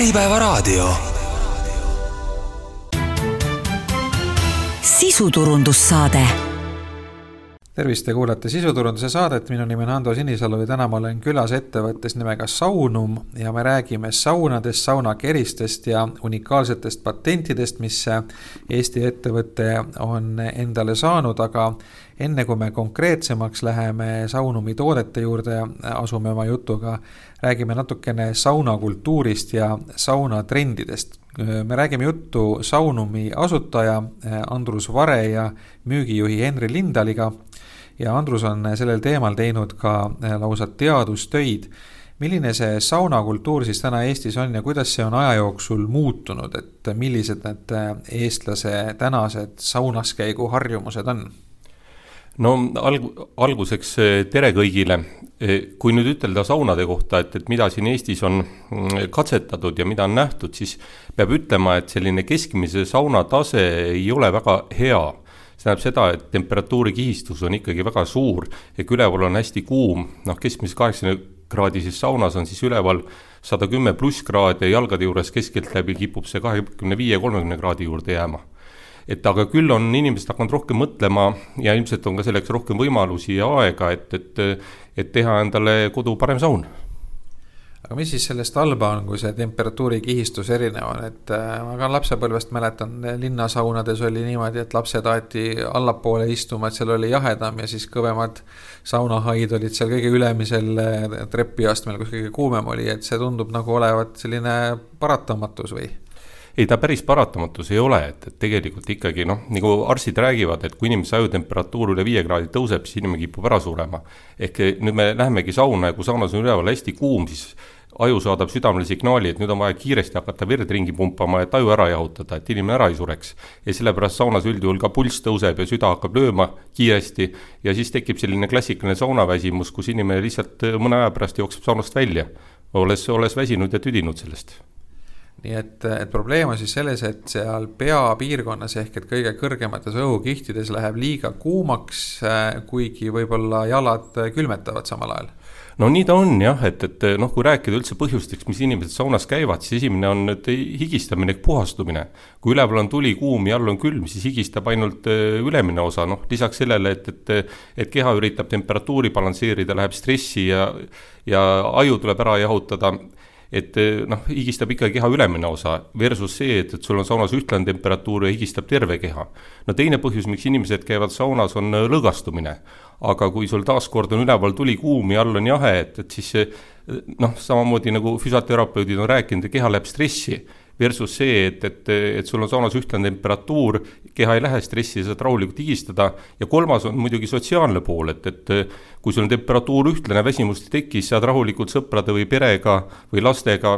Äripäevaraadio. Sisuturundussaade. Tervist, te kuulate Sisuturunduse saadet. Minu nimi on Ando Sinisalu ja täna ma olen külas ettevõttes nimega Saunum ja me räägime saunadest, saunakeristest ja unikaalsetest patentidest, mis Eesti ettevõte on endale saanud, aga enne kui me konkreetsemaks läheme Saunumi toodete juurde, asume oma jutuga, räägime natukene saunakultuurist ja saunatrendidest. Me räägime juttu Saunumi asutaja Andrus Vare ja müügijuhi Henri Lindaliga ja Andrus on sellel teemal teinud ka lausa teadustöid. Milline see saunakultuur siis täna Eestis on ja kuidas see on aja jooksul muutunud, et millised need eestlase tänased saunaskäigu harjumused on? No alguseks tere kõigile. Kui nüüd ütelda saunade kohta, et mida siin Eestis on katsetatud ja mida on nähtud, siis peab ütlema, et selline keskmise sauna tase ei ole väga hea. See näeb seda, et temperatuuri kihistus on ikkagi väga suur, üleval on hästi kuum, keskmises 80-kraadises saunas on siis üleval 110 pluss kraadi ja jalgade juures keskelt läbi kipub see 25-30 kraadi juurde jääma. Aga küll on inimesed hakanud rohkem mõtlema ja ilmselt on ka selleks rohkem võimalusi ja aega, et teha endale kodu parem saun. Aga mis siis sellest halba on, kui see temperatuuri kihistus erinev on? Ma ka lapsepõlvest mäletan, linnasaunades oli niimoodi, et lapsed aeti allapoole istuma, et seal oli jahedam ja siis kõvemad saunahaid olid seal kõige ülemisel trepiastmel, kus kõige kuumem oli, et see tundub nagu olevat selline paratamatus või? Ei, ta päris paratamatus ei ole, et tegelikult ikkagi, nagu arstid räägivad, et kui inimese ajutemperatuur üle 5 kraadi tõuseb, siis inimene kipub ära surema. Ehk nüüd me lähemegi sauna ja kui saunas on üleval hästi kuum, siis aju saadab südamele signaali, et nüüd on vaja kiiresti hakata verd ringi pumpama, et aju ära jahutada, et inimene ära ei sureks. Ja sellepärast saunas üldjuhul ka pulss tõuseb ja süda hakkab lööma kiiresti ja siis tekib selline klassikaline saunaväsimus, kus inimene lihtsalt mõne aja pärast jookseb saunast välja, olles väsinud ja tüdinud sellest. Nii et probleem on siis selles, et seal peapiirkonnas ehk et kõige kõrgemates õhukihtides läheb liiga kuumaks, kuigi võib-olla jalad külmetavad samal ajal. No nii ta on jah, et kui rääkida üldse põhjusteks, mis inimesed saunas käivad, siis esimene on higistamine ehk puhastumine. Kui üleval on tuli kuum ja all on külm, siis higistab ainult ülemine osa. Lisaks sellele, et keha üritab temperatuuri balansseerida, läheb stressi ja aju tuleb ära jahutada, et higistab ikka keha ülemine osa versus see, et sul on saunas ühtlane temperatuur ja higistab terve keha. Teine põhjus, miks inimesed käivad saunas, on lõõgastumine. Aga kui sul taaskord on üleval tuli kuum ja all on jahe, et siis samamoodi nagu füsioterapeudid on rääkinud, keha läheb stressi versus see, et sul on saunas ühtlane temperatuur, keha ei lähe stressi ja saad rahulikult higistada. Ja kolmas on muidugi sotsiaalne pool, et kui sul on temperatuur ühtlane, väsimust tekkis, saad rahulikult sõprade või perega või lastega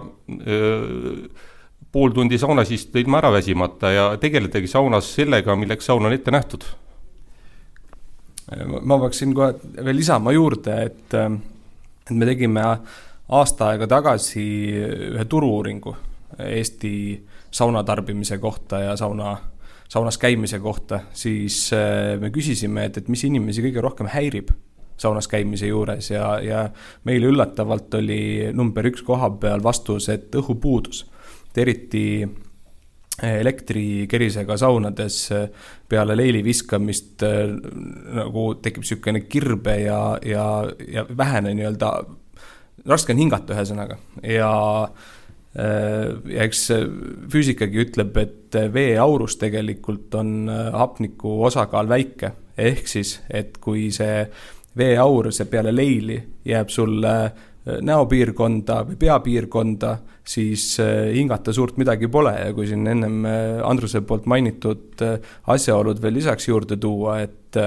pool tundi saunas istuda ilma ära väsimata ja tegeledagi saunas sellega, milleks saun on ette nähtud. Ma peaksin kohe veel lisama juurde, et me tegime aasta aega tagasi ühe turu-uuringu Eesti saunatarbimise kohta ja saunas käimise kohta, siis me küsisime, et mis inimesi kõige rohkem häirib saunas käimise juures ja meile üllatavalt oli number 1 koha peal vastus, et õhupuudus. Eriti elektrikerisega saunades peale leili viskamist nagu tekib sükene kirbe ja vähene nii-öelda raske on hingata ühesõnaga ja eks füüsikagi ütleb, et vee aurus tegelikult on hapniku osakaal väike, ehk siis, et kui see vee aur see peale leili jääb sulle näopiirkonda või peapiirkonda, siis hingata suurt midagi pole ja kui siin ennem Andruse poolt mainitud asjaolud veel lisaks juurde tuua, et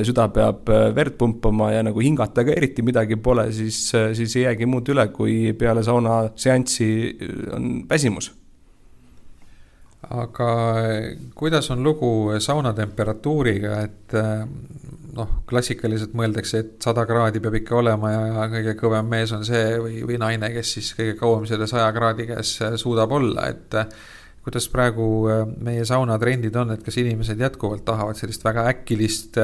süda peab verd pumpama ja nagu hingata ka eriti midagi pole, siis ei jäägi muud üle, kui peale sauna seanssi on väsimus. Aga kuidas on lugu sauna temperatuuriga, et klassikaliselt mõeldakse, et 100 kraadi peab ikka olema ja kõige kõvem mees on see või naine, kes siis kõige kauem selle 100 kraadi käes suudab olla, et kuidas praegu meie saunatrendid on, et kas inimesed jätkuvalt tahavad sellist väga äkkilist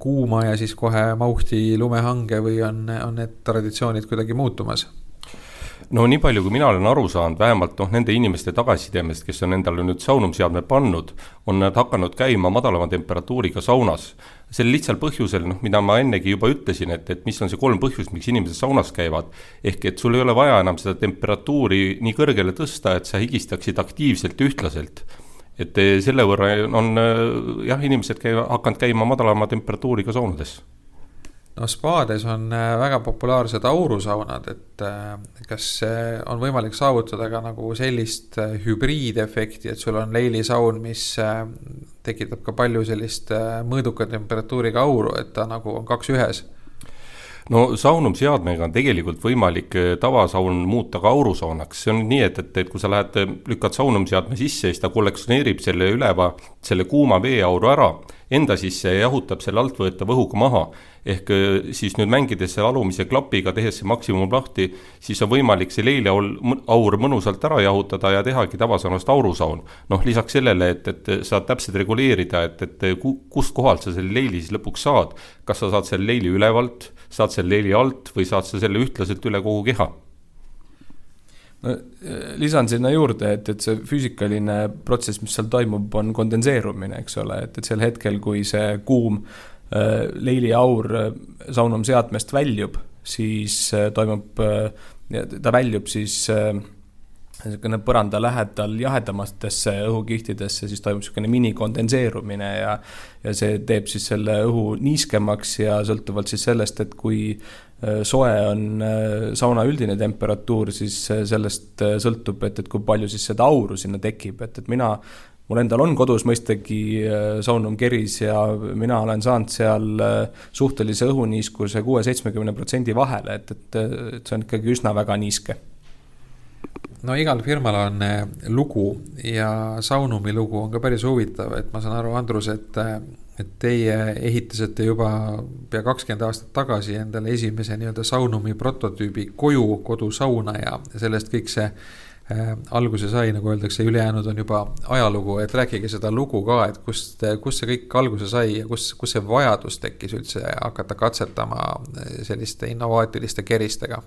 kuuma ja siis kohe mauhti lumehange või on need traditsioonid kuidagi muutumas? no nii palju, kui mina olen aru saanud, vähemalt nende inimeste tagasisidemest, kes on endale nüüd saunumisseadme pannud, on nad hakanud käima madalama temperatuuriga saunas. Sel lihtsal põhjusel, mida ma ennegi juba ütlesin, et mis on see 3 põhjust, miks inimesed saunas käivad, ehk et sul ei ole vaja enam seda temperatuuri nii kõrgele tõsta, et sa higistaksid aktiivselt ja ühtlaselt. Et selle võrra on inimesed hakanud käima madalama temperatuuriga saunades. No spaades on väga populaarsed aurusaunad, et kas on võimalik saavutada ka nagu sellist hübriidefekti, et sul on leilisaun, mis tekitab ka palju sellist mõõduka temperatuuriga auru, et ta nagu on 2 ühes? No saunumisseadmega on tegelikult võimalik tavasaun muuta ka aurusaunaks. See on nii, et kui sa lükkad saunumisseadme sisse, siis ta kollektsioneerib selle kuuma veeauru ära, enda sisse ja jahutab selle altvõetav õhuga maha. Ehk siis nüüd mängides selle alumise klapiga, tehes see maksimum lahti, siis on võimalik see leiliaur mõnusalt ära jahutada ja tehagi tavasaunast aurusaun. Lisaks sellele, et saad täpselt reguleerida, et kust kohalt sa selle leili siis lõpuks saad. Kas sa saad selle leili ülevalt, saad selle leili alt või saad sa selle ühtlaselt üle kogu keha? No, lisan sinna juurde, et see füüsikaline protsess, mis seal toimub, on kondenseerumine, eks ole, et sel hetkel, kui see kuum leiliaur saunumisseadmest väljub, siis toimub, ta väljub siis põranda lähedal jahedamatesse õhukihtidesse, siis toimub selline minikondenseerumine ja see teeb siis selle õhu niiskemaks ja sõltuvalt siis sellest, et kui soe on sauna üldine temperatuur, siis sellest sõltub, et kui palju siis seda auru sinna tekib, et mul endal on kodus mõistagi saunum keris ja mina olen saanud seal suhtelise õhuniiskuse 6-70% vahele, et see on ikkagi üsna väga niiske. No igal firmal on lugu ja saunumi lugu on ka päris huvitav, et ma saan aru, Andrus, et teie ehitasite juba pea 20 aastat tagasi endale esimese nii-öelda saunumi prototüübi kodusauna ja sellest kõik see alguse sai, nagu öeldakse, ülejäänud on juba ajalugu, et rääkige seda lugu ka, et kust see kõik alguse sai ja kus see vajadus tekkis üldse hakata katsetama selliste innovaatiliste keristega?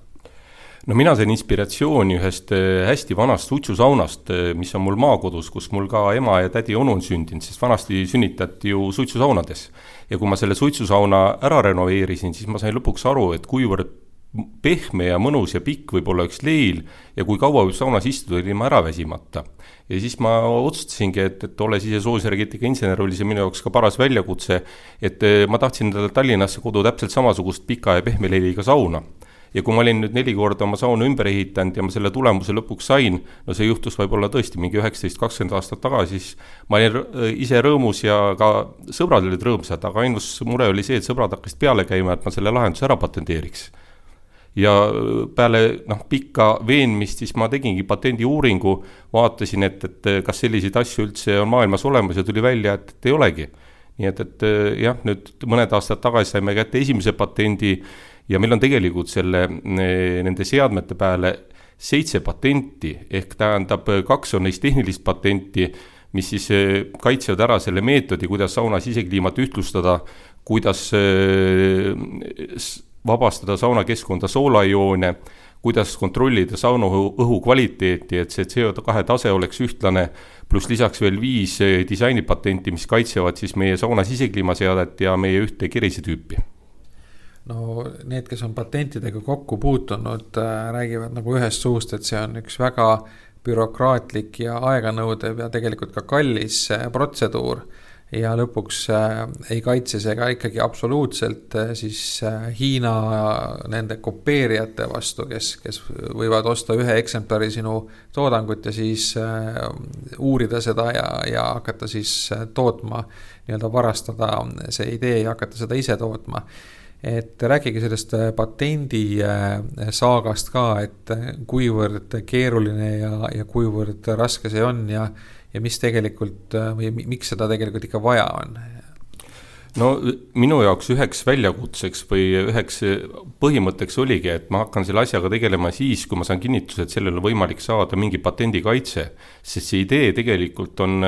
No mina sain inspiratsiooni ühest hästi vanast suitsusaunast, mis on mul maakodus, kus mul ka ema ja tädi onu on sündinud, sest vanasti sünnitati ju suitsusaunades. Ja kui ma selle suitsusauna ära renoveerisin, siis ma sain lõpuks aru, et kuivõrd pehme ja mõnus ja pikk võib olla üks leil ja kui kaua võib saunas istuda ilma ära väsimata. Ja siis ma otsustasingi, et olles ise soojusenergeetika insener, oli see minu jaoks ka paras väljakutse, et ma tahtsin Tallinnasse kodu täpselt samasugust pika ja pehme leiliga sauna. Ja kui ma olin nüüd 4 korda oma sauna ümber ehitanud ja ma selle tulemuse lõpuks sain, no see juhtus võib-olla tõesti mingi 19-20 aastat tagasi, siis ma olin ise rõõmus ja ka sõbrad olid rõõmsad, aga ainus mure oli see, et sõbrad hakkasid peale käima, et ma selle lahenduse ära patenteeriks. Ja peale pikka veenmist siis ma tegingi patendi uuringu, vaatasin, et kas selliseid asju üldse on maailmas olemas ja tuli välja, et ei olegi. Nii et jah, nüüd mõned aastad tagasi saime kätte esimese patendi ja meil on tegelikult nende seadmete peale 7 patenti, ehk tähendab 2 on neist tehnilist patenti, mis siis kaitsevad ära selle meetodi, kuidas sauna sisekliimat ühtlustada, kuidas vabastada saunakeskkonda soolaioone, kuidas kontrollida sauna õhu kvaliteeti, et see CO2 tase oleks ühtlane, pluss lisaks veel 5 disainipatenti, mis kaitsevad siis meie sauna sisekliimaseadet ja meie ühte kerisetüüpi. No need, kes on patentidega kokku puutunud, räägivad nagu ühest suust, et see on üks väga bürokraatlik ja aeganõudev ja tegelikult ka kallis protseduur. Ja lõpuks ei kaitse see ka ikkagi absoluutselt siis Hiina nende kopeerijate vastu, kes võivad osta ühe eksemplari sinu toodangut ja siis uurida seda ja hakata siis tootma, nii-öelda varastada see idee ja hakata seda ise tootma. Et rääkige sellest patendi saagast ka, et kuivõrd keeruline ja kuivõrd raske see on ja mis tegelikult, või miks seda tegelikult ikka vaja on? No minu jaoks üheks väljakutseks või üheks põhimõtteks oligi, et ma hakkan selle asjaga tegelema siis, kui ma saan kinnituse, et sellel on võimalik saada mingi patendikaitse, sest see idee tegelikult on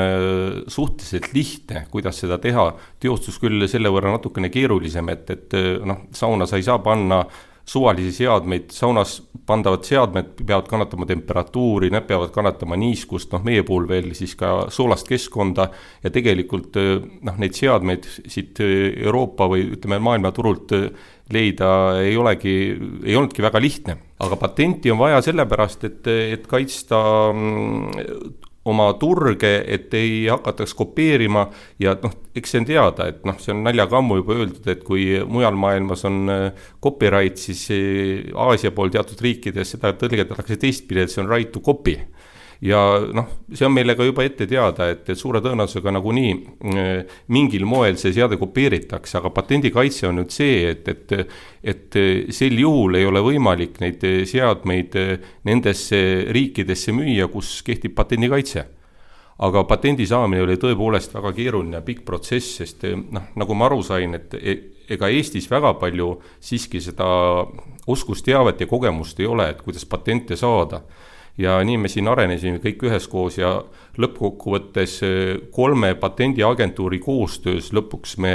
suhteliselt lihtne, kuidas seda teha. Teostus küll selle võrra natukene keerulisem, et sauna sa ei saa panna suvalisi seadmeid, saunas pandavad seadmed peavad kannatama temperatuuri, nad peavad kannatama niiskust, meie puhul veel siis ka soolast keskkonda ja tegelikult neid seadmeid siit Euroopa või ütleme maailmaturult leida ei olnudki väga lihtne. Aga patenti on vaja sellepärast, et kaitsta oma turge, et ei hakataks kopeerima ja eks see on teada, et see on naljaga ammu juba öeldud, et kui mujal maailmas on copyright, siis Aasia pool teatud riikides seda tõlgendatakse teistpidi, et see on right to copy. Ja see on meile ka juba ette teada, et suure tõenäosusega nagunii mingil moel see seade kopeeritakse, aga patendikaitse on nüüd see, et sel juhul ei ole võimalik neid seadmeid nendesse riikidesse müüa, kus kehtib patendikaitse. Aga patendi saamine oli tõepoolest väga keeruline ja pikk protsess, sest nagu ma aru sain, et ega Eestis väga palju siiski seda oskusteavet ja kogemust ei ole, et kuidas patente saada. Ja nii me siin arenesime kõik üheskoos ja lõppkokkuvõttes 3 patendiagentuuri koostöös lõpuks me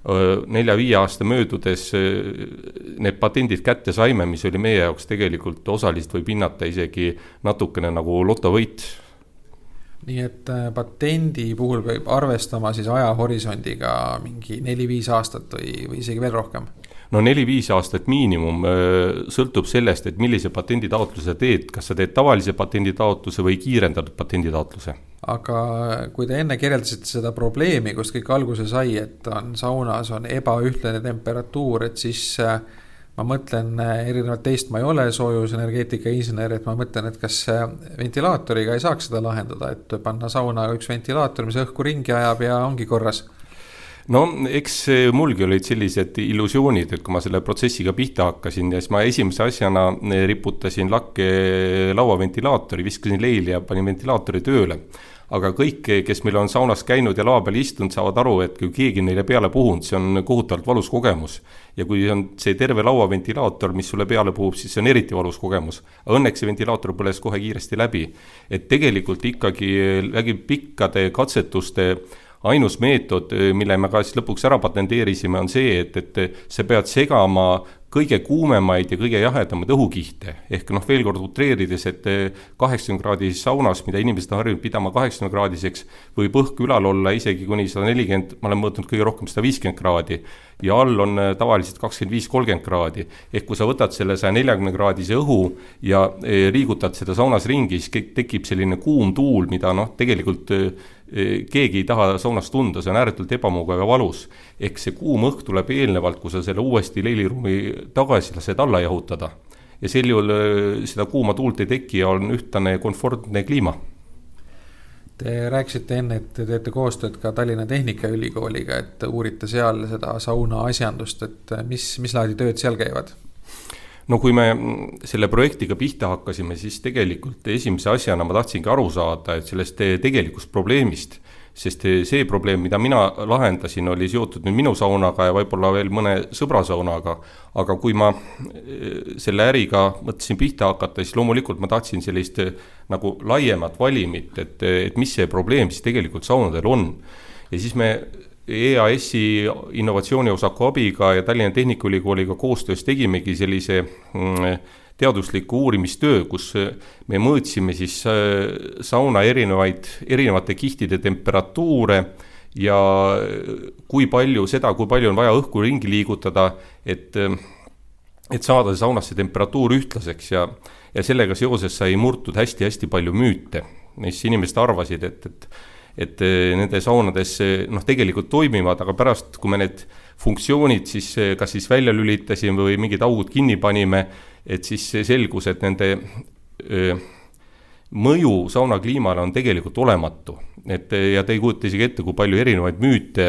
4-5 aasta möödudes need patendid kätte saime, mis oli meie jaoks tegelikult osaliselt võib hinnata isegi natukene nagu lotovõit. Nii et patendi puhul võib arvestama siis ajahorisondiga mingi 4-5 aastat või isegi veel rohkem? 4-5 aastat miinimum sõltub sellest, et millise patenditaotluse teed, kas sa teed tavalise patenditaotluse või kiirendatud patenditaotluse. Aga kui te enne kirjeldasite seda probleemi, kust kõik alguse sai, et saunas on ebaühtlane temperatuur, et siis ma mõtlen erinevalt teist, ma ei ole soojusenergeetika insener, et ma mõtlen, et kas ventilaatoriga ei saaks seda lahendada, et panna sauna üks ventilaator, mis õhku ringi ajab ja ongi korras. Eks mulgi olid sellised illusioonid, et kui ma selle protsessiga pihta hakkasin ja siis ma esimese asjana riputasin lakke lauaventilaatori, viskasin leili ja panin ventilaatori tööle. Aga kõik, kes meil on saunas käinud ja laua peal istunud, saavad aru, et kui keegi neile peale puhunud, see on kohutavalt valus kogemus. Ja kui on see terve lauaventilaator, mis sulle peale puhub, siis see on eriti valus kogemus. Aga õnneks see ventilaator põles kohe kiiresti läbi. Et tegelikult ikkagi läbi pikkade katsetuste ainus meetod, mille me ka siis lõpuks ära patenteerisime, on see, et sa pead segama kõige kuumemaid ja kõige jahedamaid õhukihte. Ehk veel kord utreerides, et 80 kraadis saunas, mida inimesed on harjunud pidama 80 kraadiseks, võib õhk ülal olla isegi kuni 140, ma olen mõõtnud kõige rohkem 150 kraadi ja all on tavaliselt 25-30 kraadi. Ehk kui sa võtad selle 140 kraadise õhu ja liigutad seda saunas ringi, siis tekib selline kuum tuul, mida tegelikult keegi ei taha saunas tunda, see on ääretult ebamugav ja valus. Ehk see kuum õhk tuleb eelnevalt, kui sa selle uuesti leiliruumi tagasi lased alla jahutada. Ja sel juhul seda kuuma tuult ei teki ja on ühtlane konfortne kliima. Te rääkisite enne, et te teete koostööd ka Tallinna Tehnikaülikooliga, et uurite seal seda sauna asjandust, et mis laadi tööd seal käivad? Kui me selle projektiga pihta hakkasime, siis tegelikult esimese asjana ma tahtsingi aru saada, et sellest tegelikust probleemist, sest see probleem, mida mina lahendasin, oli seotud nüüd minu saunaga ja võib-olla veel mõne sõbra saunaga, aga kui ma selle äriga mõtlesin pihta hakata, siis loomulikult ma tahtsin sellist nagu laiemat valimit, et mis see probleem siis tegelikult saunadel on. Ja siis me EAS-i innovatsiooniosakku abiga ja Tallinna Tehnikaülikooliga koostöös tegimegi sellise teadusliku uurimistöö, kus me mõõtsime siis sauna erinevate kihtide temperatuure ja kui palju on vaja õhku ringi liigutada, et saada saunasse temperatuur ühtlaseks ja sellega seoses sai murtud hästi palju müüte. Mis inimesed arvasid, et nende saunades tegelikult toimivad, aga pärast, kui me need funktsioonid siis kas siis välja lülitasime või mingid augud kinni panime, et siis selgus, et nende mõju sauna kliimale on tegelikult olematu. Ja te ei kujuta isegi ette, kui palju erinevaid müüte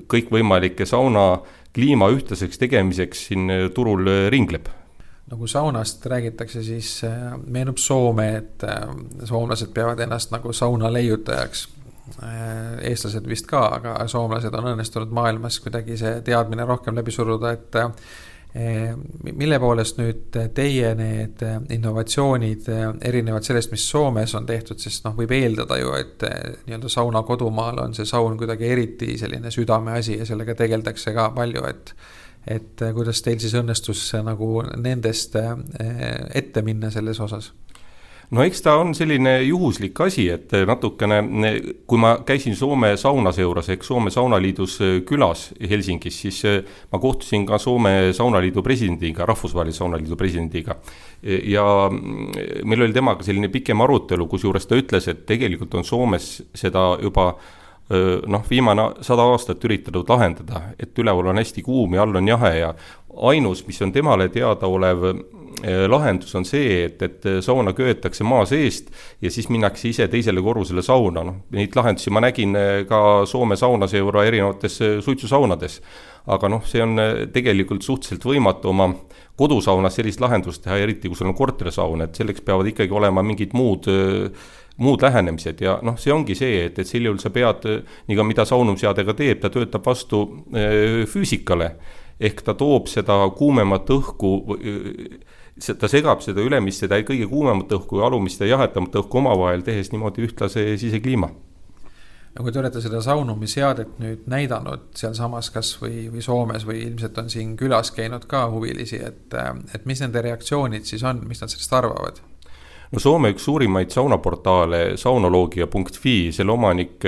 kõikvõimalike sauna kliima ühtlaseks tegemiseks siin turul ringleb. Kui saunast räägitakse, siis meenub Soome, et soomlased peavad ennast nagu sauna leiutajaks. Eestlased vist ka, aga soomlased on õnnestunud maailmas kuidagi see teadmine rohkem läbi suruda, et mille poolest nüüd teie need innovatsioonid erinevad sellest, mis Soomes on tehtud, sest võib eeldada ju, et nii-öelda sauna kodumaal on see saun kuidagi eriti selline südame asi ja sellega tegeldakse ka palju, et et kuidas teil siis õnnestus nagu nendest ette minna selles osas? No eks ta on selline juhuslik asi, et natukene, kui ma käisin Soome saunaseuras ehk Soome saunaliidus külas Helsingis, siis ma kohtusin ka Soome saunaliidu presidendiga, rahvusvahelise saunaliidu presidendiga. Ja meil oli temaga selline pikem arutelu, kusjuures ta ütles, et tegelikult on Soomes seda juba viimane 100 aastat üritanud lahendada, et üleval on hästi kuum ja all on jahe ja ainus, mis on temale teada olev lahendus on see, et sauna köetakse maa seest ja siis minnakse ise teisele korrusele sauna. Neid lahendusi ma nägin ka Soome saunaseura erinevates suitsusaunades. Aga see on tegelikult suhteliselt võimatu oma kodusaunas sellist lahendust teha, eriti kui sul on korterisaun, et selleks peavad ikkagi olema mingid muud lähenemised ja see ongi see, et sel juhul sa pead, nii ka mida saunumseadega teeb, ta töötab vastu füüsikale, ehk ta toob seda kuumemat õhku, ta segab seda ülemist, seda kõige kuumemat õhku ja alumist ja jahetamat õhku omavahel, tehes niimoodi ühtlase sisekliima. Ja kui te olete seda saunumisseadet nüüd näidanud sealsamas kas või Soomes või ilmselt on siin külas käinud ka huvilisi, et mis nende reaktsioonid siis on, mis nad sellest arvavad? Soome üks suurimaid saunaportaale, saunoloogia.fi, selle omanik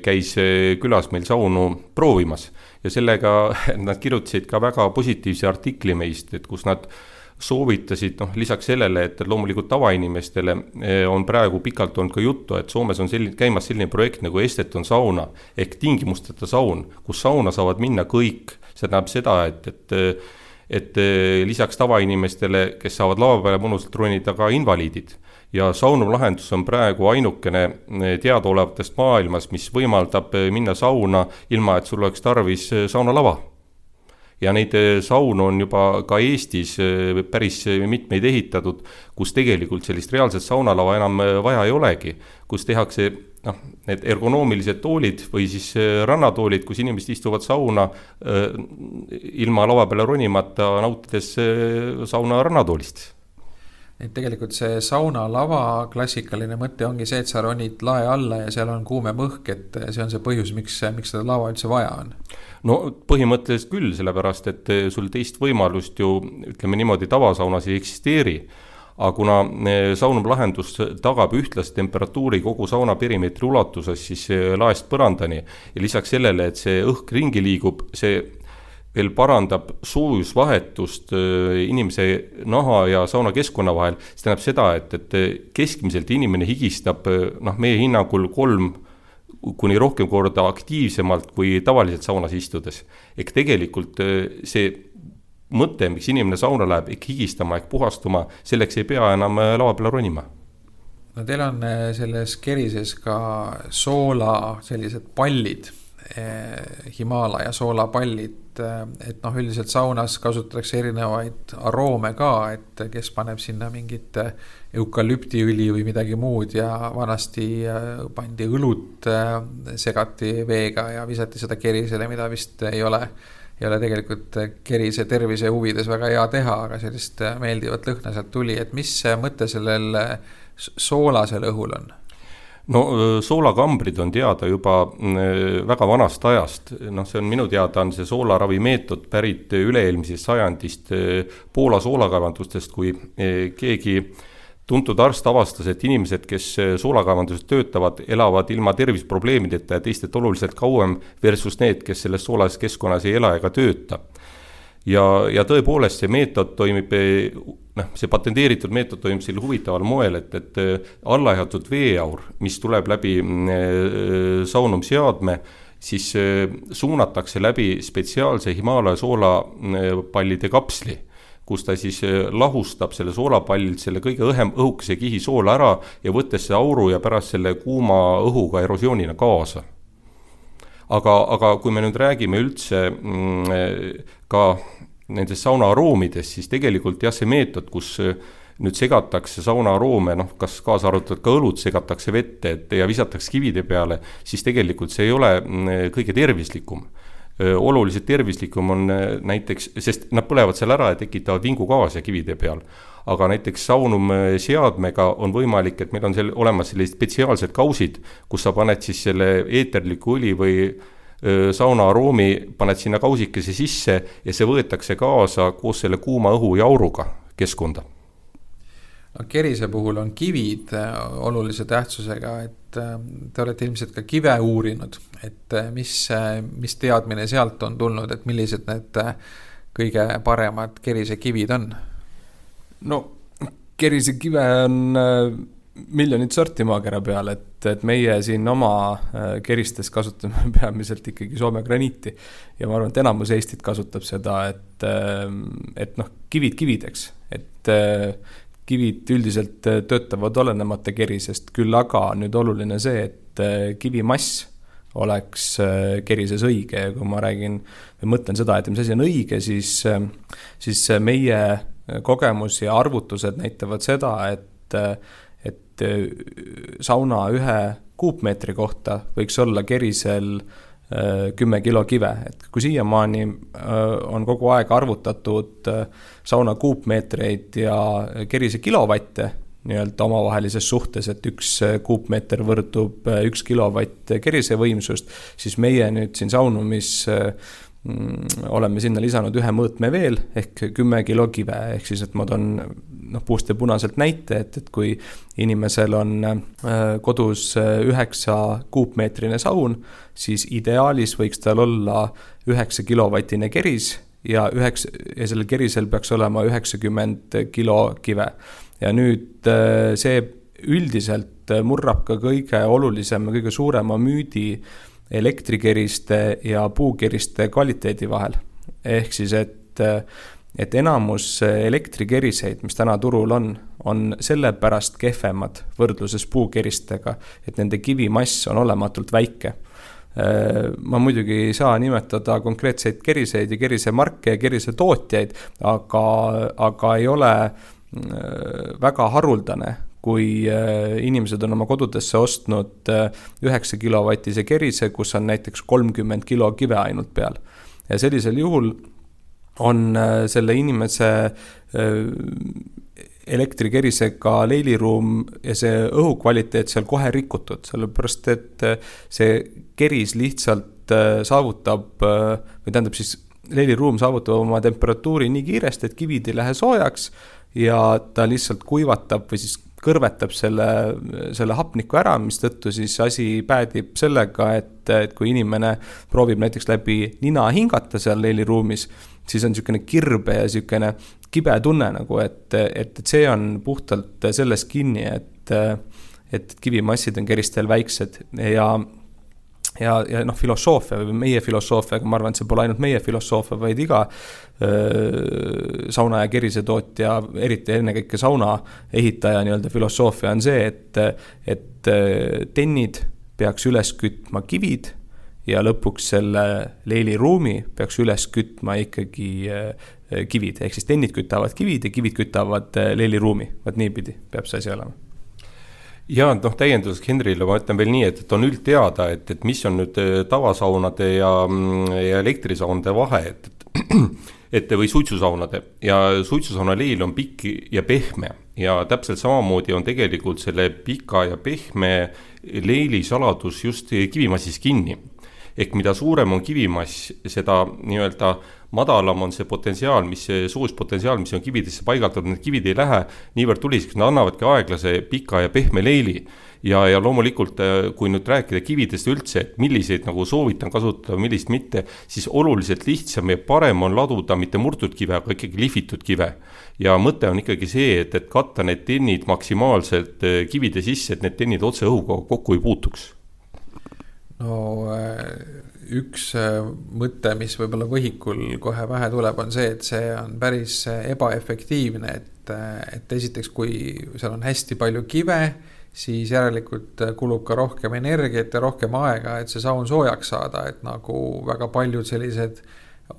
käis külas meil saunu proovimas ja sellega nad kirjutasid ka väga positiivse artikli meist, et kus nad soovitasid, lisaks sellele, et loomulikult tavainimestele on praegu pikalt olnud ka juttu, et Soomes on käimas selline projekt nagu Esteton sauna ehk tingimusteta saun, kus sauna saavad minna kõik. See tähendab seda, et lisaks tavainimestele, kes saavad lava peale mõnusalt ronida, ka invaliidid. Ja saunumlahendus on praegu ainukene teadaolevatest maailmas, mis võimaldab minna sauna ilma, et sul oleks tarvis saunalava. Ja neid saunu on juba ka Eestis päris mitmeid ehitatud, kus tegelikult sellist reaalset saunalava enam vaja ei olegi, kus tehakse need ergonoomilised toolid või siis rannatoolid, kus inimesed istuvad sauna ilma lava peale ronimata, nautides sauna rannatoolist. Et tegelikult see saunalava klassikaline mõte ongi see, et sa ronid lae alla ja seal on kuume mõhk, et see on see põhjus, miks seda lava üldse vaja on. No põhimõtteliselt küll, sellepärast, et sul teist võimalust ju, ütleme niimoodi, tavasaunas ei eksisteeri. Aga kuna saunumlahendus tagab ühtlast temperatuuri kogu sauna perimeetri ulatuses, siis laest põrandani ja lisaks sellele, et see õhk ringi liigub, see veel parandab soojusvahetust inimese naha ja sauna keskkonna vahel. See tähendab seda, et keskmiselt inimene higistab meie hinnangul 3 kuni rohkem korda aktiivsemalt kui tavaliselt saunas istudes. Ehk tegelikult see mõte, miks inimene sauna läheb, ehk higistama, ehk puhastuma, selleks ei pea enam lava peale ronima. No teil on selles kerises ka soola sellised pallid, Himalaja soolapallid, et üldiselt saunas kasutatakse erinevaid aroome ka, et kes paneb sinna mingit eukalüptiõli või midagi muud ja vanasti pandi õlut, segati veega ja visati seda kerisele, mida vist ei ole tegelikult kerise tervise huvides väga hea teha, aga sellist meeldivat lõhna sealt tuli, et mis mõte sellel soolasel õhul on? No soolakambrid on teada juba väga vanast ajast. See on minu teada on see soolaravi meetod pärit üle-eelmisest sajandist Poola soolakaevandustest, kui keegi tuntud arst avastas, et inimesed, kes soolakaevanduses töötavad, elavad ilma tervisprobleemideta ja teistelt oluliselt kauem versus need, kes selles soolases keskkonnas ei ela ega tööta. Ja tõepoolest see meetod toimib, see patenteeritud meetod toimib sel huvitaval moel, et allajatud veeaur, mis tuleb läbi saunumseadme, siis suunatakse läbi spetsiaalse Himalaja soolapallide kapsli, kus ta siis lahustab selle soolapallilt selle kõige õhukese kihi soola ära ja võttes see auru ja pärast selle kuuma õhuga erosioonina kaasa. Aga kui me nüüd räägime üldse ka nendes sauna aroomides, siis tegelikult see meetod, kus nüüd segatakse sauna aroome, kas kaasa arvatud ka õlut segatakse vette ja visatakse kivide peale, siis tegelikult see ei ole kõige tervislikum. Oluliselt tervislikum on näiteks, sest nad põlevad seal ära ja tekitavad vingugaase kivide peal. Aga näiteks saunumseadmega on võimalik, et meil on olemas sellised spetsiaalsed kausid, kus sa paned siis selle eeterliku õli või sauna aroomi, paned sinna kausikese sisse ja see võetakse kaasa koos selle kuuma õhu ja auruga keskkonda. No, kerise puhul on kivid olulise tähtsusega, et te olete ilmselt ka kive uurinud, et mis teadmine sealt on tulnud, et millised need kõige paremad kerise kivid on? No kerise kive on miljonit sorti maakera peal, et meie siin oma keristes kasutame peamiselt ikkagi Soome graniiti ja ma arvan, et enamus Eestit kasutab seda, et kivid kivideks, et kivid üldiselt töötavad olenemata kerisest, küll aga nüüd oluline see, et kivimass oleks kerises õige ja kui ma mõtlen seda, et mis asi on õige, siis meie kogemus ja arvutused näitavad seda, et sauna 1 kuupmeetri kohta võiks olla kerisel 10 kilo kive, et kui siiamaani on kogu aeg arvutatud sauna kuupmeetreid ja kerise kilovatte nii-öelda omavahelises suhtes, et 1 kuupmeeter võrdub 1 kilovatt kerise võimsust, siis meie nüüd siin saunumis oleme sinna lisanud 1 mõõtme veel ehk 10 kilo kive, ehk siis, et ma toon puust ja punaselt näite, et kui inimesel on kodus 9 kuupmeetrine saun, siis ideaalis võiks tal olla 9 kilovatine keris ja sellel kerisel peaks olema 90 kilo kive. Ja nüüd see üldiselt murrab ka kõige olulisem ja kõige suurema müüdi elektrikeriste ja puukeriste kvaliteedi vahel. Ehk siis, et enamus elektrikeriseid, mis täna turul on sellepärast kehvemad võrdluses puukeristega, et nende kivimass on olematult väike. Ma muidugi ei saa nimetada konkreetseid keriseid ja kerise marke ja kerise tootjaid, aga ei ole väga haruldane, kui inimesed on oma kodudesse ostnud 9 kilovatise kerise, kus on näiteks 30 kilo kive ainult peal. Ja sellisel juhul on selle inimese elektrikerisega leiliruum ja see õhukvaliteet seal kohe rikutud, sellepärast et see keris lihtsalt saavutab, või tähendab siis leiliruum saavutab oma temperatuuri nii kiiresti, et kivid ei lähe soojaks ja ta lihtsalt kuivatab või siis kõrvetab selle hapniku ära, mis tõttu siis asi päädib sellega, et kui inimene proovib näiteks läbi nina hingata seal leiliruumis, siis on niisugune kirbe ja niisugune kibe tunne, nagu, et see on puhtalt selles kinni, et kivimassid on keristel väiksed ja filosoofia või meie filosoofia, aga ma arvan, et see pole ainult meie filosoofia, vaid iga sauna ja kerise tootja, eriti ennekõike sauna ehitaja nii-öelda filosoofia on see, et tennid peaks üles kütma kivid ja lõpuks selle leiliruumi peaks üles kütma ikkagi kivid, ehk siis tennid kütavad kivid ja kivid kütavad leiliruumi, vaat niipidi peab see asi olema. Ja täienduseks Henrile ma ütlen veel nii, et on üldteada, et mis on nüüd tavasaunade ja elektrisaunade vahe, või suitsusaunade ja suitsusauna leil on pikk ja pehme ja täpselt samamoodi on tegelikult selle pika ja pehme leili saladus just kivimassis kinni. Ehk mida suurem on kivimass, seda nii-öelda madalam on see potentsiaal, soojuspotentsiaal, mis on kividesse paigaldatud, need kivid ei lähe niivõrd tuliseks, nad annavadki aeglase pika ja pehme leili. Ja loomulikult, kui nüüd rääkida kividest üldse, et milliseid nagu soovitan kasutada, millist mitte, siis oluliselt lihtsam ja parem on laduda mitte murtud kive, aga ikkagi lihvitud kive. Ja mõte on ikkagi see, et katta need tennid maksimaalselt kivide sisse, et need tennid otse õhuga kokku ei puutuks. No üks mõte, mis võib-olla võhikul kohe vähe tuleb, on see, et see on päris ebaefektiivne, et esiteks, kui seal on hästi palju kive, siis järelikult kulub ka rohkem energiat ja rohkem aega, et see saun soojaks saada, et nagu väga paljud sellised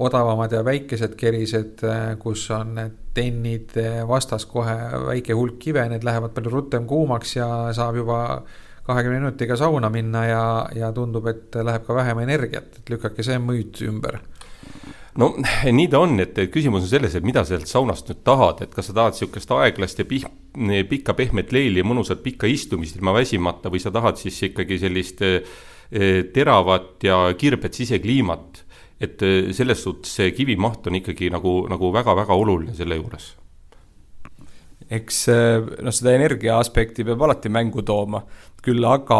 odavamad ja väikesed kerised, kus on tennid vastas kohe väike hulk kive, need lähevad palju rutem kuumaks ja saab juba 20 minutiga sauna minna ja tundub, et läheb ka vähem energiat, et lükkake see müüt ümber. No nii ta on, et küsimus on selles, et mida sealt saunast nüüd tahad, et kas sa tahad siukest aeglast ja pikka pehmet leili ja mõnusat pikka istumist ilma väsimata või sa tahad siis ikkagi sellist teravat ja kirbet sisekliimat, et selles suhtes see kivimaht on ikkagi nagu väga-väga oluline selle juures. Eks seda energia aspekti peab alati mängu tooma, küll aga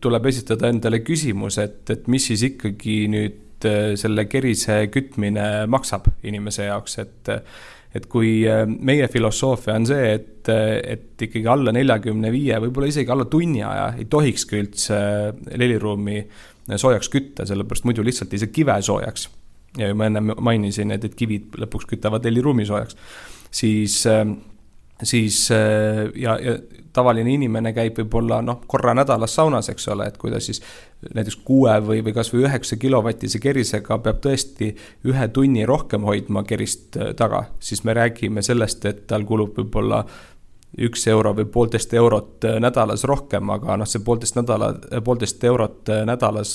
tuleb esitada endale küsimus, et mis siis ikkagi nüüd selle kerise kütmine maksab inimese jaoks, et kui meie filosoofia on see, et ikkagi alla 45, võib-olla isegi alla tunni aja ei tohikski üldse leliruumi soojaks kütta, sellepärast muidu lihtsalt ei saa kive soojaks. Ja ma enne mainisin, et kivid lõpuks kütavad leliruumi soojaks. Siis ja tavaline inimene käib võib-olla korra nädalas saunas, eks ole, et kui ta siis näiteks 6 või kas või 9 kilovatise kerisega peab tõesti 1 tunni rohkem hoidma kerist taga, siis me räägime sellest, et tal kulub võib-olla 1 euro või 1,5 eurot nädalas rohkem, aga see 1,5 eurot nädalas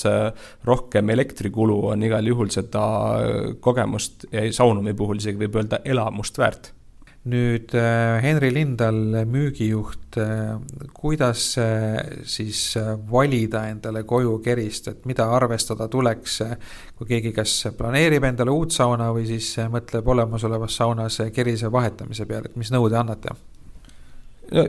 rohkem elektrikulu on igal juhul seda kogemust ja saunumi puhul isegi võib öelda elamust väärt. Nüüd Henri Lindal, müügijuht, kuidas siis valida endale koju kerist, et mida arvestada tuleks, kui keegi kas planeerib endale uut sauna või siis mõtleb olemasolevas saunas kerise vahetamise peale, et mis nõude annate?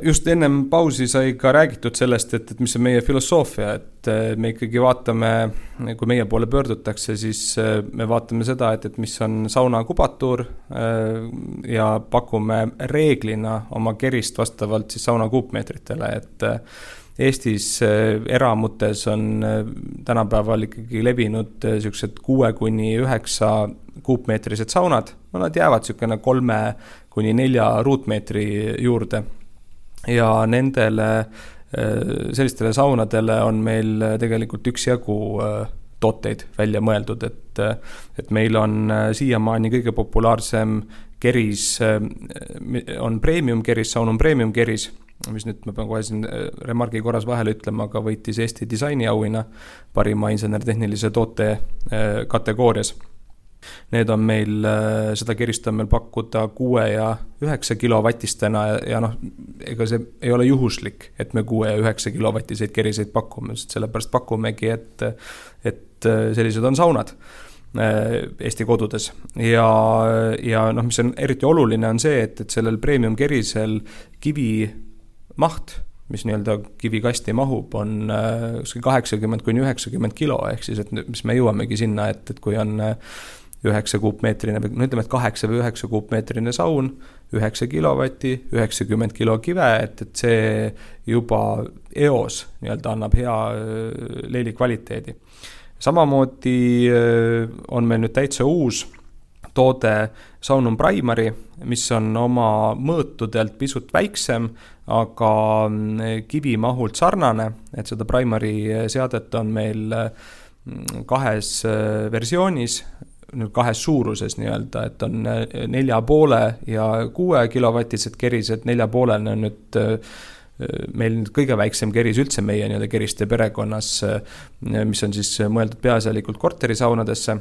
Just ennem pausi sai ka räägitud sellest, et mis on meie filosoofia, et me ikkagi vaatame, kui meie poole pöördutakse, siis me vaatame seda, et mis on sauna kubatuur ja pakume reeglina oma kerist vastavalt siis sauna kuupmeetritele, et Eestis eramutes on tänapäeval ikkagi levinud sellised 6-9 kuupmeetrised saunad, nad jäävad selline 3-4 ruutmeetri juurde. Ja nendele sellistele saunadele on meil tegelikult üksjagu tooteid välja mõeldud, et meil on siiamaani kõige populaarsem keris, on premium keris, Saunum premium keris, mis nüüd ma pean kohe siin remargi korras vahele ütlema, aga võitis Eesti disainiauhinna parima insenertehnilise toote kategoorias. Need on meil, seda kerist on meil pakkuda 6 ja 9 kilovatistena ja ega see ei ole juhuslik, et me 6 ja 9 kilovatiseid keriseid pakume, sellepärast pakumegi, et sellised on saunad Eesti kodudes ja mis on eriti oluline on see, et sellel premium kerisel kivi maht, mis nii-öelda kivikasti mahub, on 80-90 kilo, ehk siis, et mis me jõuamegi sinna, et kui on 9 kuupmeetrine, ütleme, et 8 või 9 kuupmeetrine saun, 9 kilovatti, 90 kilo kive, et see juba eos nii-öelda annab hea leili kvaliteedi. Samamoodi on meil nüüd täitsa uus toode Saunum Primary, mis on oma mõõtudelt pisut väiksem, aga kivimahult sarnane, et seda Primary seadet on meil 2 versioonis, 2 suuruses nii-öelda, et on 4,5 ja 6 kilovatised kerised, 4,5 on nüüd meil kõige väiksem keris üldse meie nii-öelda keriste perekonnas, mis on siis mõeldud peaasjalikult korterisaunadesse.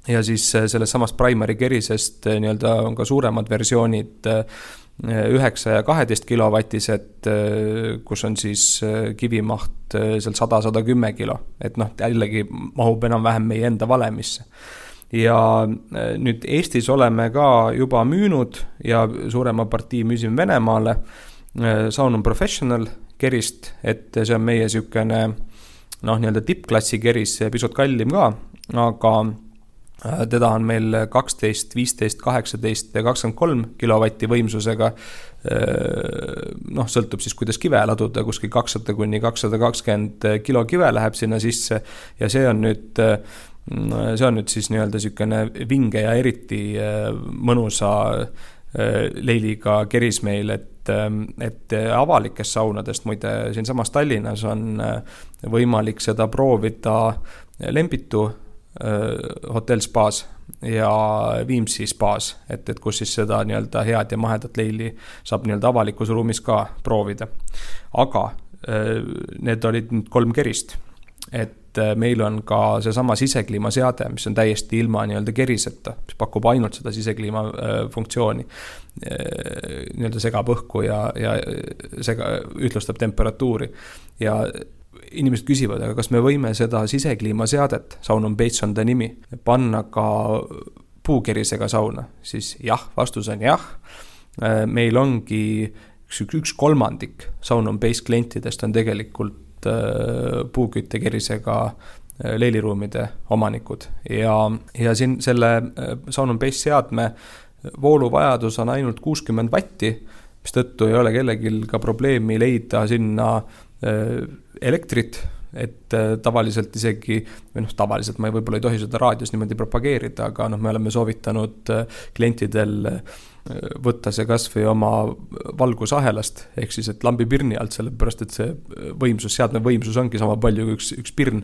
Ja siis selles samas Primary kerisest nii-öelda on ka suuremad versioonid 9 ja 12 kilovatised, kus on siis kivimaht seal 100-110 kilo, et jällegi mahub enam-vähem meie enda valemisse. Ja nüüd Eestis oleme ka juba müünud ja suurema partii müüsime Venemaale Saunum Professional kerist, et see on meie sükene nii-öelda tippklassi keris, pisut kallim ka, aga teda on meil 12, 15, 18 ja 23 kilovatti võimsusega, sõltub siis kuidas kive laduda, kuskil 200-220 kilo kive läheb sinna sisse ja see on nüüd siis nii-öelda sükene vinge ja eriti mõnusa leiliga keris meil, et avalikest saunadest, muide siin samas Tallinnas on võimalik seda proovida Lembitu hotell spaas ja Viimsi spaas, et kus siis seda nii-öelda head ja mahedat leili saab nii-öelda avalikus ruumis ka proovida. Aga need olid nüüd 3 kerist, et meil on ka see sama sisekliima seade, mis on täiesti ilma nii-öelda keriseta, mis pakub ainult seda sisekliima funktsiooni, nii-öelda segab õhku ja ühtlustab temperatuuri ja inimesed küsivad, aga kas me võime seda sisekliimaseadet, Saunum Base on ta nimi, panna ka puukerisega sauna, siis jah, vastus on jah. Meil ongi üks kolmandik Saunum Base klientidest on tegelikult puuküttekerisega leiliruumide omanikud ja siin selle Saunum Base seadme vooluvajadus on ainult 60 vatti, mis tõttu ei ole kellegil ka probleemi leida sinna elektrit, et tavaliselt isegi, või tavaliselt ma võib-olla ei tohi seda raadios niimoodi propageerida, aga me oleme soovitanud klientidel võtta see kas või oma valgusahelast, ehk siis, et lambi pirni alt, sellepärast, et see võimsus, seadme võimsus ongi sama palju kui üks pirn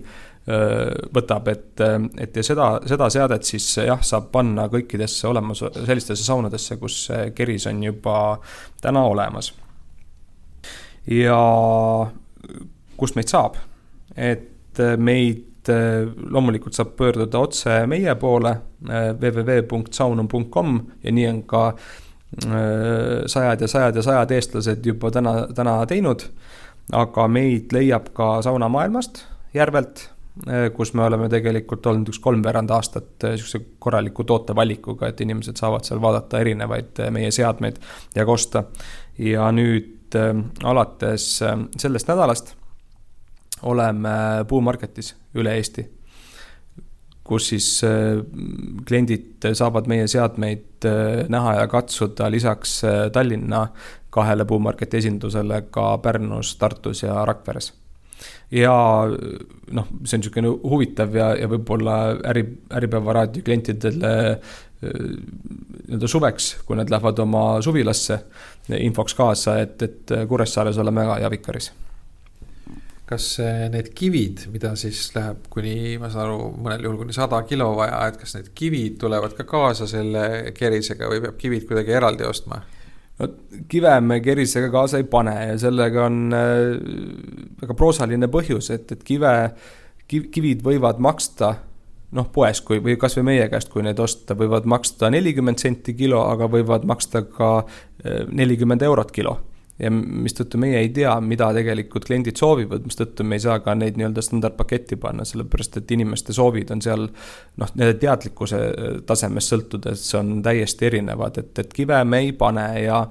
võtab, et ja seda seadet siis jah, saab panna kõikidesse olemas sellistesse saunadesse, kus keris on juba täna olemas. Ja kus meid saab? Et meid loomulikult saab pöörduda otse meie poole www.saunum.com ja nii on ka sajad eestlased juba täna teinud, aga meid leiab ka saunamaailmast Järvelt, kus me oleme tegelikult olnud 3 aastat korraliku tootevalikuga, et inimesed saavad seal vaadata erinevaid meie seadmeid ja kosta. Ja nüüd alates sellest nädalast oleme Puumarketis üle Eesti, kus siis kliendid saavad meie seadmeid näha ja katsuda lisaks Tallinna 2 Puumarketi esindusele ka Pärnus, Tartus ja Rakveres. Ja see on niisugune huvitav ja võib-olla Äripäeva raadio klientidele suveks, kui nad lähevad oma suvilasse infoks kaasa, et Kuressaares oleme ka Javikaris. Kas need kivid, mida siis läheb kuni, ma saan aru, mõnel juhul kuni 100 kilo vaja, et kas need kivid tulevad ka kaasa selle kerisega või peab kivid kuidagi eraldi ostma? No, kive me kerisega kaasa ei pane ja sellega on väga proosaline põhjus, et kivid võivad maksta poes või kas või meie käest, kui need osta, võivad maksta 40 senti kilo, aga võivad maksta ka 40 eurot kilo. Ja mis tõttu meie ei tea, mida tegelikult kliendid soovivad, mis tõttu me ei saa ka neid nii-öelda standardpaketti panna, sellepärast et inimeste soovid on seal nende teadlikkuse tasemest sõltudes on täiesti erinevad, et kive me ei pane ja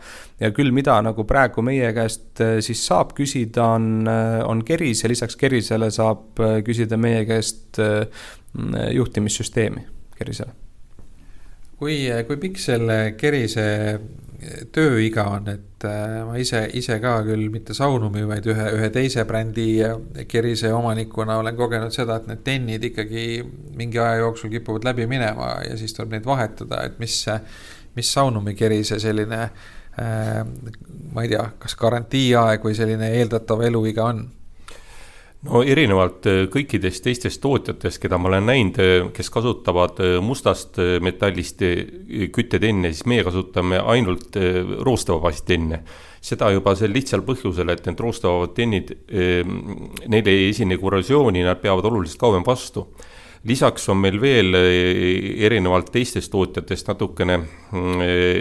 küll mida nagu praegu meie käest siis saab küsida on keris ja lisaks kerisele saab küsida meie käest juhtimissüsteemi kerisele. Kui pikk selle kerise tööiga on, et ma ise ka küll mitte Saunumi, vaid ühe teise brändi kerise omanikuna olen kogenud seda, et need tennid ikkagi mingi aja jooksul kipuvad läbi minema ja siis tuleb neid vahetada, et mis Saunumi kerise selline, ma ei tea, kas garantiiaeg või selline eeldatav eluiga on? No erinevalt kõikidest teistest tootjatest, keda ma olen näinud, kes kasutavad mustast metallist küttetenne, siis meie kasutame ainult roostevabast tenne. Seda juba sel lihtsal põhjusel, et need roostevabad tennid, neil ei esine korrosiooni, nad peavad oluliselt kauem vastu. Lisaks on meil veel erinevalt teistest tootjatest natukene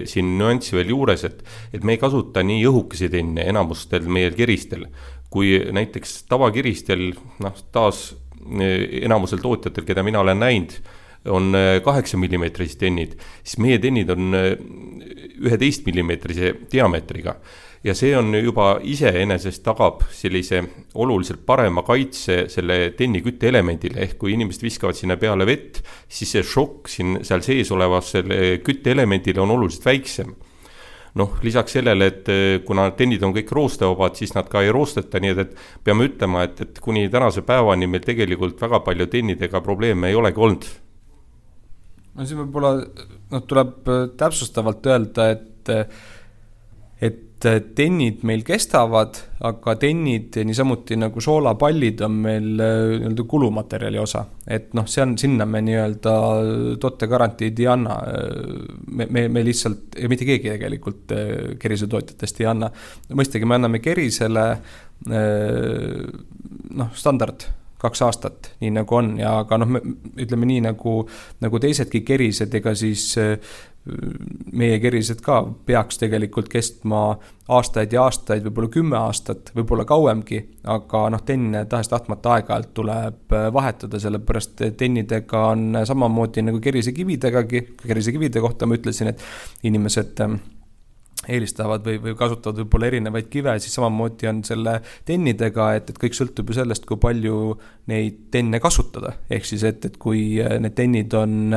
siin nüanssi veel juures, et me ei kasuta nii õhukesi tenne enamustel meie keristel, kui näiteks tavakiristel, taas enamusel tootjatel, keda mina olen näinud, on 8 mm tennid, siis meie tennid on 11 mm diameetriga. Ja see on juba iseenesest tagab sellise oluliselt parema kaitse selle tenni kütteelemendile, ehk kui inimesed viskavad sinna peale vett, siis see šokk seal sees olevas selle kütteelemendile on oluliselt väiksem. Lisaks sellele, et kuna tennid on kõik roostevabad, siis nad ka ei roosteta, nii et peame ütlema, et kuni tänase päevani meil tegelikult väga palju tennidega probleeme ei olegi olnud. No see võib-olla tuleb täpsustavalt öelda, et tennid meil kestavad, aga tennid niisamuti nagu soolapallid on meil kulumaterjali osa. Et sinna me nii-öelda tootegarantiid ei anna. Me lihtsalt, ja mitte keegi tegelikult kerisetootjatest ei anna. Mõistagi me anname kerisele standard 2 aastat, nii nagu on, ja aga ütleme nii nagu teisedki kerised, ega siis meie kerised ka peaks tegelikult kestma aastaid ja aastaid, võib-olla 10 aastat, võib-olla kauemgi, aga tenne tahes-tahtmata aeg-ajalt tuleb vahetada, sellepärast tennidega on samamoodi nagu kerisekividegagi. Kerisekivide kohta ma ütlesin, et inimesed eelistavad või kasutavad võib-olla erinevaid kive, siis samamoodi on selle tennidega, et kõik sõltub ju sellest, kui palju neid tenne kasutada. Ehk siis, et kui need tennid on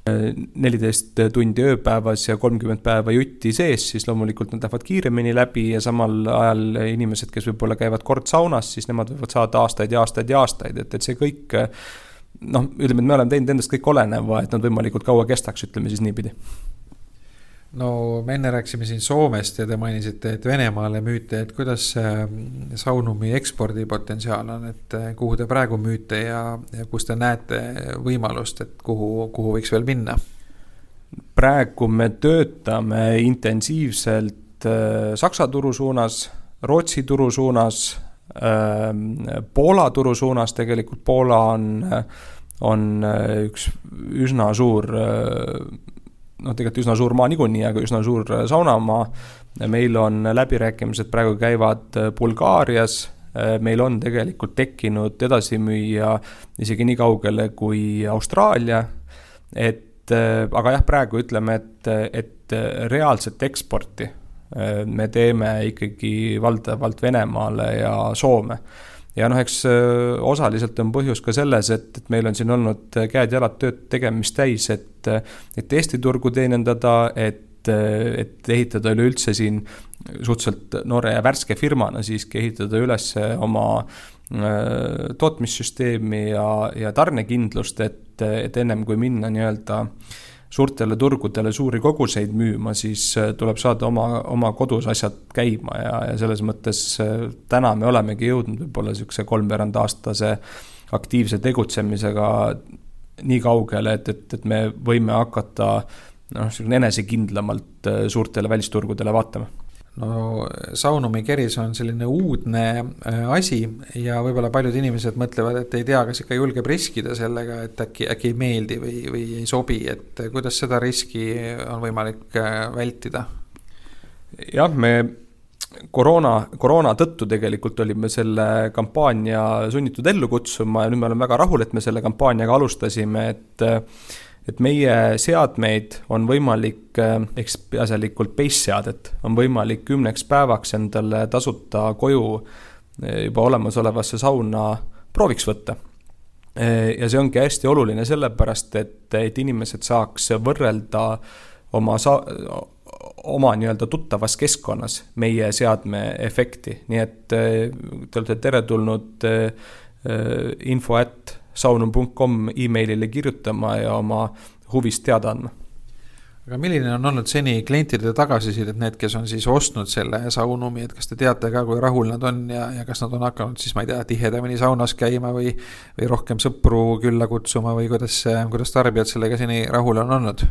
14 tundi ööpäevas ja 30 päeva jutti sees, siis loomulikult nad lähevad kiiremini läbi ja samal ajal inimesed, kes võib-olla käivad kord saunas, siis nemad võivad saada aastaid ja aastaid ja aastaid, et see kõik, ütleme, et me oleme teinud endast kõik oleneva, et nad võimalikult kaua kestaks, ütleme siis niipidi. No me enne rääksime siin Soomest ja te mainisite, et Venemaale müüte, et kuidas Saunumi ekspordipotentsiaal on, et kuhu te praegu müüte ja kus te näete võimalust, et kuhu võiks veel minna? Praegu me töötame intensiivselt Saksa turu suunas, Rootsi turu suunas, Poola turu suunas. Tegelikult Poola on üks üsna suur tegelikult üsna suur maa niikuinii, aga üsna suur saunamaa. Meil on läbirääkimised praegu käivad Bulgaarias. Meil on tegelikult tekkinud edasimüüja isegi nii kaugele kui Austraalia. Aga jah, praegu ütleme, et reaalset eksporti me teeme ikkagi valdavalt Venemaale ja Soome. Ja eks osaliselt on põhjus ka selles, et meil on siin olnud käed-jalad tööd tegemist täis, et Eesti turgu teenindada, et ehitada üleüldse siin suhteliselt noore ja värske firmana siiski ehitada üles oma tootmissüsteemi ja tarnekindlust, et ennem kui minna nii-öelda suurtele turgudele suuri koguseid müüma, siis tuleb saada oma kodus asjad käima ja selles mõttes täna me olemegi jõudnud võib-olla selline 3 aastase aktiivse tegutsemisega nii kaugele, et me võime hakata enesekindlamalt suurtele välisturgudele vaatama. No Saunumi keris on selline uudne asi ja võib-olla paljud inimesed mõtlevad, et ei tea, kas ikka julgeb riskida sellega, et äkki ei meeldi või ei sobi, et kuidas seda riski on võimalik vältida? Jah, me koroona tõttu tegelikult olime selle kampaania sunnitud ellu kutsuma ja nüüd me oleme väga rahul, et me selle kampaaniaga alustasime, et meie seadmeid on võimalik, peaasjalikult base-seadet, on võimalik 10 päevaks endale tasuta koju juba olemasolevasse sauna prooviks võtta. Ja see ongi hästi oluline sellepärast, et inimesed saaks võrrelda oma nii-öelda tuttavas keskkonnas meie seadme efekti. Nii et te olete teretulnud info@saunum.com e-mailile kirjutama ja oma huvist teada andma. Aga milline on olnud seni klientide tagasisidet, need, kes on siis ostnud selle Saunumi, et kas te teate ka, kui rahul nad on ja kas nad on hakanud siis, ma ei tea, tihedamini saunas käima või rohkem sõpru külla kutsuma või kuidas tarbijad sellega seni rahul on olnud?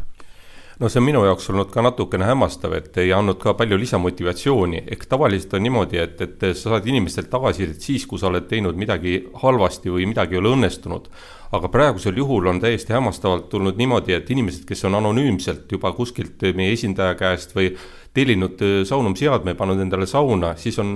No see on minu jaoks olnud ka natukene hämmastav, et ei andnud ka palju lisamotivatsiooni. Ehk tavaliselt on niimoodi, et sa saad inimestelt tagasisidet siis, kui sa oled teinud midagi halvasti või midagi ei ole õnnestunud. Aga praegusel juhul on täiesti hämmastavalt tulnud niimoodi, et inimesed, kes on anonüümselt juba kuskilt meie esindaja käest või tellinud Saunum seadme, pannud endale sauna, siis on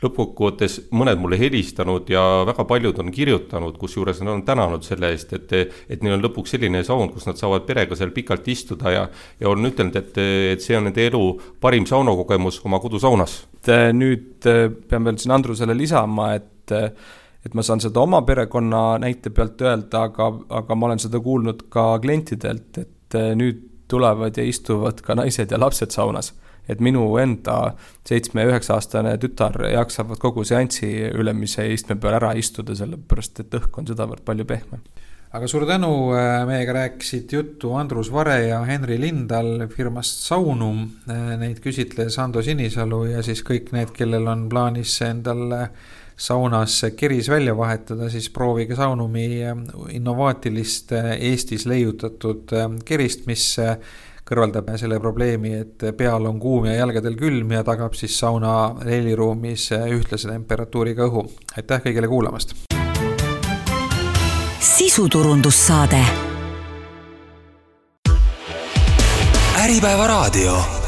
lõppkokkuvõttes mõned mulle helistanud ja väga paljud on kirjutanud, kus juures nad on tänanud selle eest, et neil on lõpuks selline saun, kus nad saavad perega seal pikalt istuda ja on ütelnud, et see on nende elu parim saunakogemus oma kodusaunas. Nüüd pean veel siin Andrusele lisama, et ma saan seda oma perekonna näite pealt öelda, aga ma olen seda kuulnud ka klientidelt, et nüüd tulevad ja istuvad ka naised ja lapsed saunas. Et minu enda 7-9-aastane tütar jaksavad kogu seansi ülemise istme peal ära istuda, sellepärast et õhk on sedavõrd palju pehme. Aga suur tänu, meiega rääkisid juttu Andrus Vare ja Henri Lindal firmast Saunum. Neid küsitles Ando Sinisalu ja siis kõik need, kellel on plaanis endal saunas keris välja vahetada, siis proovige Saunumi innovaatilist Eestis leiutatud kerist, mis kõrvaldab selle probleemi, et peal on kuum ja jalgadel külm ja tagab siis sauna helliruumis ühtlase temperatuuriga õhu. Aitäh kõigile kuulamast! Sisuturundussaade. Äripäevaraadio.